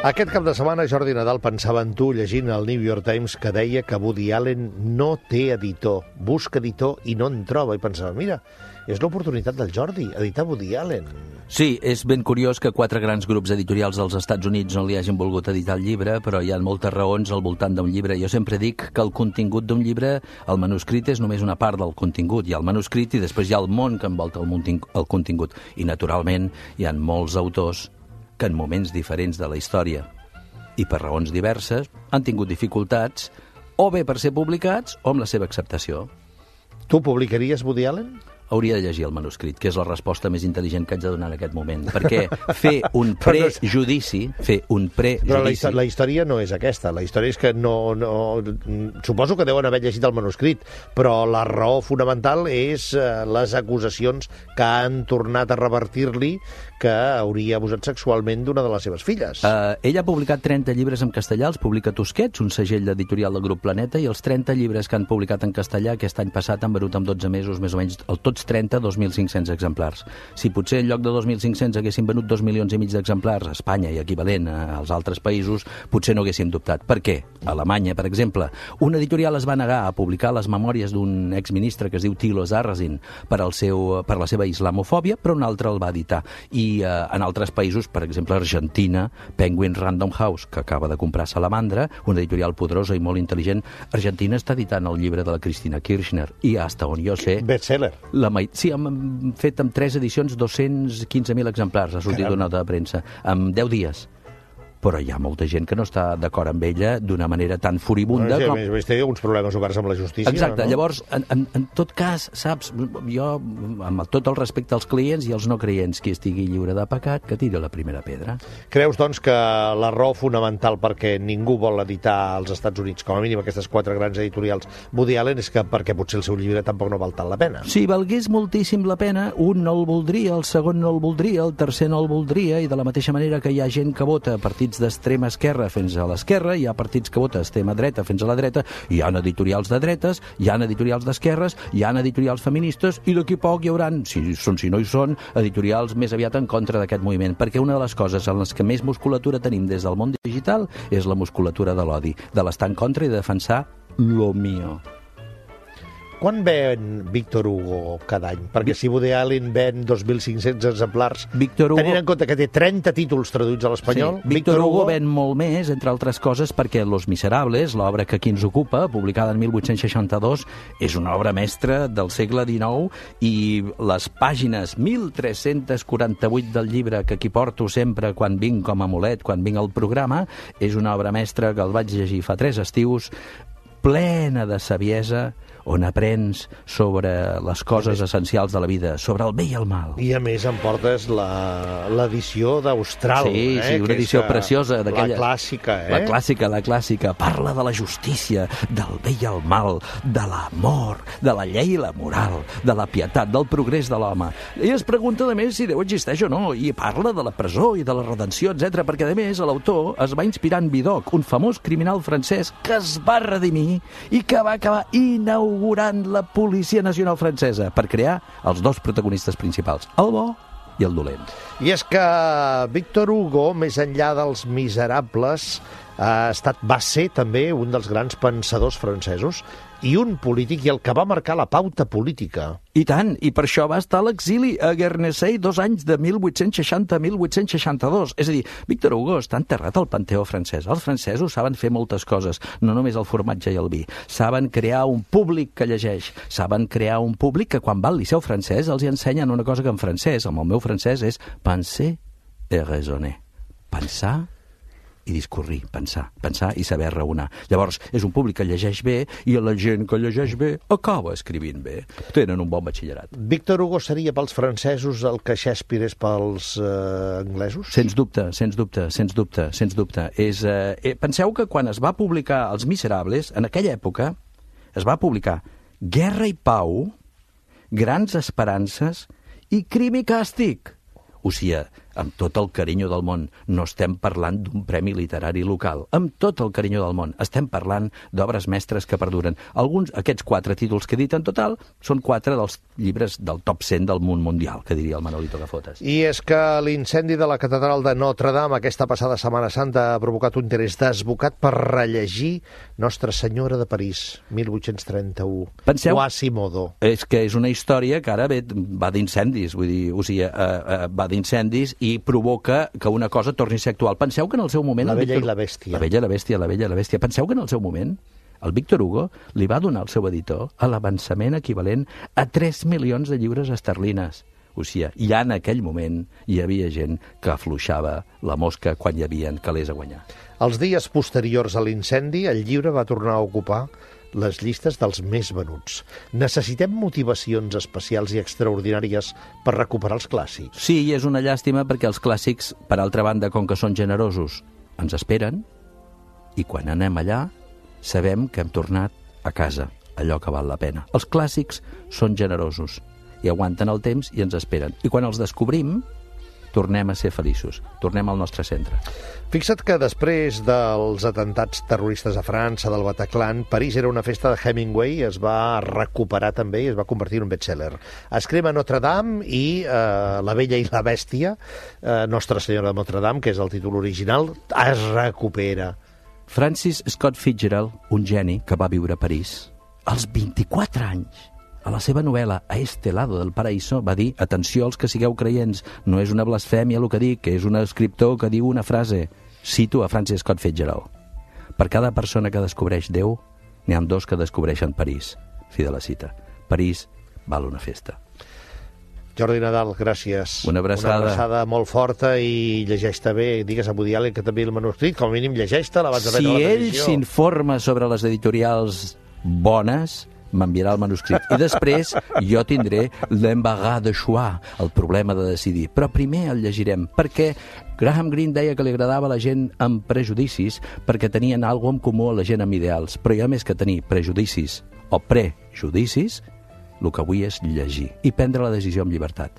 Aquest cap de setmana Jordi Nadal pensava en tu llegint el New York Times que deia que Woody Allen no té editor, busca editor i no en troba, i pensava, mira, és l'oportunitat del Jordi, editar Woody Allen. Sí, és ben curiós que 4 grans grups editorials dels Estats Units no li hagin volgut editar el llibre, però hi ha moltes raons al voltant d'un llibre. Jo sempre dic que el contingut d'un llibre, el manuscrit és només una part del contingut. Hi ha el manuscrit i després hi ha el món que envolta el contingut. I, naturalment, hi ha molts autors que en moments diferents de la història i per raons diverses han tingut dificultats o bé per ser publicats o amb la seva acceptació. Tu publicaries Woody Allen? Hauria de llegir el manuscrit, que és la resposta més intel·ligent que haig de donar en aquest moment, perquè fer un prejudici... Però la història no és aquesta, la història és que no... Suposo que deuen haver llegit el manuscrit, però la raó fonamental és les acusacions que han tornat a revertir-li que hauria abusat sexualment d'una de les seves filles. Ell ha publicat 30 llibres en castellà, els publica Tusquets, un segell editorial del grup Planeta, i els 30 llibres que han publicat en castellà aquest any passat han venut en 12 mesos, més o menys, tots 30, 2.500 exemplars. Si potser en lloc de 2.500 haguessin venut 2,5 milions d'exemplars a Espanya i equivalent als altres països, potser no haguéssim dubtat. Per què? A Alemanya, per exemple, un editorial es va negar a publicar les memòries d'un exministre que es diu Thilo Sarrazin per la seva islamofòbia, però un altre el va editar. I en altres països, per exemple, Argentina, Penguin Random House, que acaba de comprar Salamandra, una editorial poderosa i molt intel·ligent, Argentina està editant el llibre de la Cristina Kirchner i, hasta on jo sé... Bestseller. Sí, hem fet amb 3 edicions 215.000 exemplars, ha sortit una nota de premsa, en 10 dies. Però hi ha molta gent que no està d'acord amb ella d'una manera tan furibunda com... A més, té uns problemes oberts amb la justícia. Exacte, no? Llavors, en tot cas, saps, jo, amb tot el respecte als clients i als no creients, qui estigui lliure de pecat, que tiri la primera pedra. Creus, doncs, que la raó fonamental perquè ningú vol editar als Estats Units, com a mínim aquestes 4 grans editorials, Woody Allen, és que perquè potser el seu llibre tampoc no val tant la pena? Si valgués moltíssim la pena, un no el voldria, el segon no el voldria, el tercer no el voldria, i de la mateixa manera que hi ha gent que vota partits d'extrema esquerra fins a l'esquerra, hi ha partits que vota extrema dreta fins a la dreta, hi ha editorials de dretes, hi ha editorials d'esquerres, hi ha editorials feministes, i d'aquí poc hi haurà, si no hi són, editorials més aviat en contra d'aquest moviment, perquè una de les coses en les que més musculatura tenim des del món digital és la musculatura de l'odi, de l'estar en contra i de defensar lo mío. Quan ven Víctor Hugo cada any? Perquè si Woody Allen ven 2.500 exemplars, tenint en compte que té 30 títols traduïts a l'espanyol... Sí, Víctor Hugo ven molt més, entre altres coses, perquè Los Miserables, l'obra que aquí ens ocupa, publicada en 1862, és una obra mestra del segle XIX, i les pàgines 1.348 del llibre que aquí porto sempre quan vinc com a amulet, quan vinc al programa, és una obra mestra que el vaig llegir fa 3 estius, plena de saviesa, on aprens sobre les coses essencials de la vida, sobre el bé i el mal. I a més em portes l'edició d'Austral. Sí, una edició preciosa. La clàssica, La clàssica. Parla de la justícia, del bé i el mal, de l'amor, de la llei i la moral, de la pietat, del progrés de l'home. I es pregunta, a més, si Déu existeix o no, i parla de la presó i de la redenció, etc. perquè, a més, l'autor es va inspirar en Vidocq, un famós criminal francès que es va redimir i que va acabar inaugurant la Policia Nacional Francesa per crear els 2 protagonistes principals, el bo i el dolent. I és que Víctor Hugo, més enllà dels Miserables, va ser també un dels grans pensadors francesos i un polític, i el que va marcar la pauta política. I tant, i per això va estar a l'exili a Guernesey 2 anys, de 1860 a 1862. És a dir, Víctor Hugo està enterrat al Panteó francès. Els francesos saben fer moltes coses, no només el formatge i el vi. Saben crear un públic que llegeix, saben crear un públic que quan va al liceu francès els hi ensenyen una cosa que en francès, amb el meu francès, és penser et raisonner. Pensar i discorrir, pensar i saber raonar. Llavors, és un públic que llegeix bé, i la gent que llegeix bé acaba escrivint bé. Tenen un bon batxillerat. Víctor Hugo seria pels francesos el que Shakespeare és pels anglesos? Sens dubte. Penseu que quan es va publicar Els Miserables, en aquella època, es va publicar Guerra i Pau, Grans Esperances i Crim i Càstig. O sigui, amb tot el carinyo del món, no estem parlant d'un premi literari local. Amb tot el carinyo del món. Estem parlant d'obres mestres que perduren. Aquests 4 títols que he dit en total, són 4 dels llibres del top 100 del món mundial, que diria el Manolito Gafotas. I és que l'incendi de la catedral de Notre Dame aquesta passada Setmana Santa ha provocat un interès desbocat per rellegir Nostra Senyora de París, 1831. Penseu, Quasimodo. És que és una història que ara va d'incendis, vull dir, o sigui, va d'incendis i provoca que una cosa torni a ser actual. Penseu que en el seu moment... La Bella i la Bèstia. La Bella i la Bèstia, la Bella i la Bèstia. Penseu que en el seu moment el Víctor Hugo li va donar al seu editor l'avançament equivalent a 3 milions de lliures esterlines. O sigui, ja en aquell moment hi havia gent que afluixava la mosca quan hi havien calés a guanyar. Els dies posteriors a l'incendi, el llibre va tornar a ocupar les llistes dels més venuts. Necessitem motivacions especials i extraordinàries per recuperar els clàssics. Sí, i és una llàstima perquè els clàssics, per altra banda, com que són generosos, ens esperen, i quan anem allà sabem que hem tornat a casa, allò que val la pena. Els clàssics són generosos i aguanten el temps i ens esperen. I quan els descobrim, tornem a ser feliços, tornem al nostre centre. Fixa't que després dels atentats terroristes a França, del Bataclan, París era una festa de Hemingway, es va recuperar també i es va convertir en un bestseller. Es crema Notre Dame i La Bella i la Bèstia, Nostra Senyora de Notre Dame, que és el títol original, es recupera. Francis Scott Fitzgerald, un geni que va viure a París, als 24 anys, a la seva novel·la A este lado del paraíso va dir, atenció als que sigueu creients, no és una blasfèmia el que dic, que és un escriptor que diu una frase. Cito a Francis Scott Fitzgerald. Per cada persona que descobreix Déu, n'hi ha 2 que descobreixen París. Fi de la cita. París val una festa. Jordi Nadal, gràcies. Una abraçada. Una abraçada molt forta i llegeix-te bé. Digues a Woody Allen que també el manuscrit, com a mínim llegeix-te'l abans de prendre la decisió. Si ell s'informa sobre les editorials bones, m'enviarà el manuscrit. I després jo tindré l'embarras de choix, el problema de decidir. Però primer el llegirem, perquè Graham Greene deia que li agradava a la gent amb prejudicis perquè tenien alguna en comú a la gent amb ideals. Però hi ha més que tenir prejudicis o prejudicis, el que vull és llegir i prendre la decisió amb llibertat.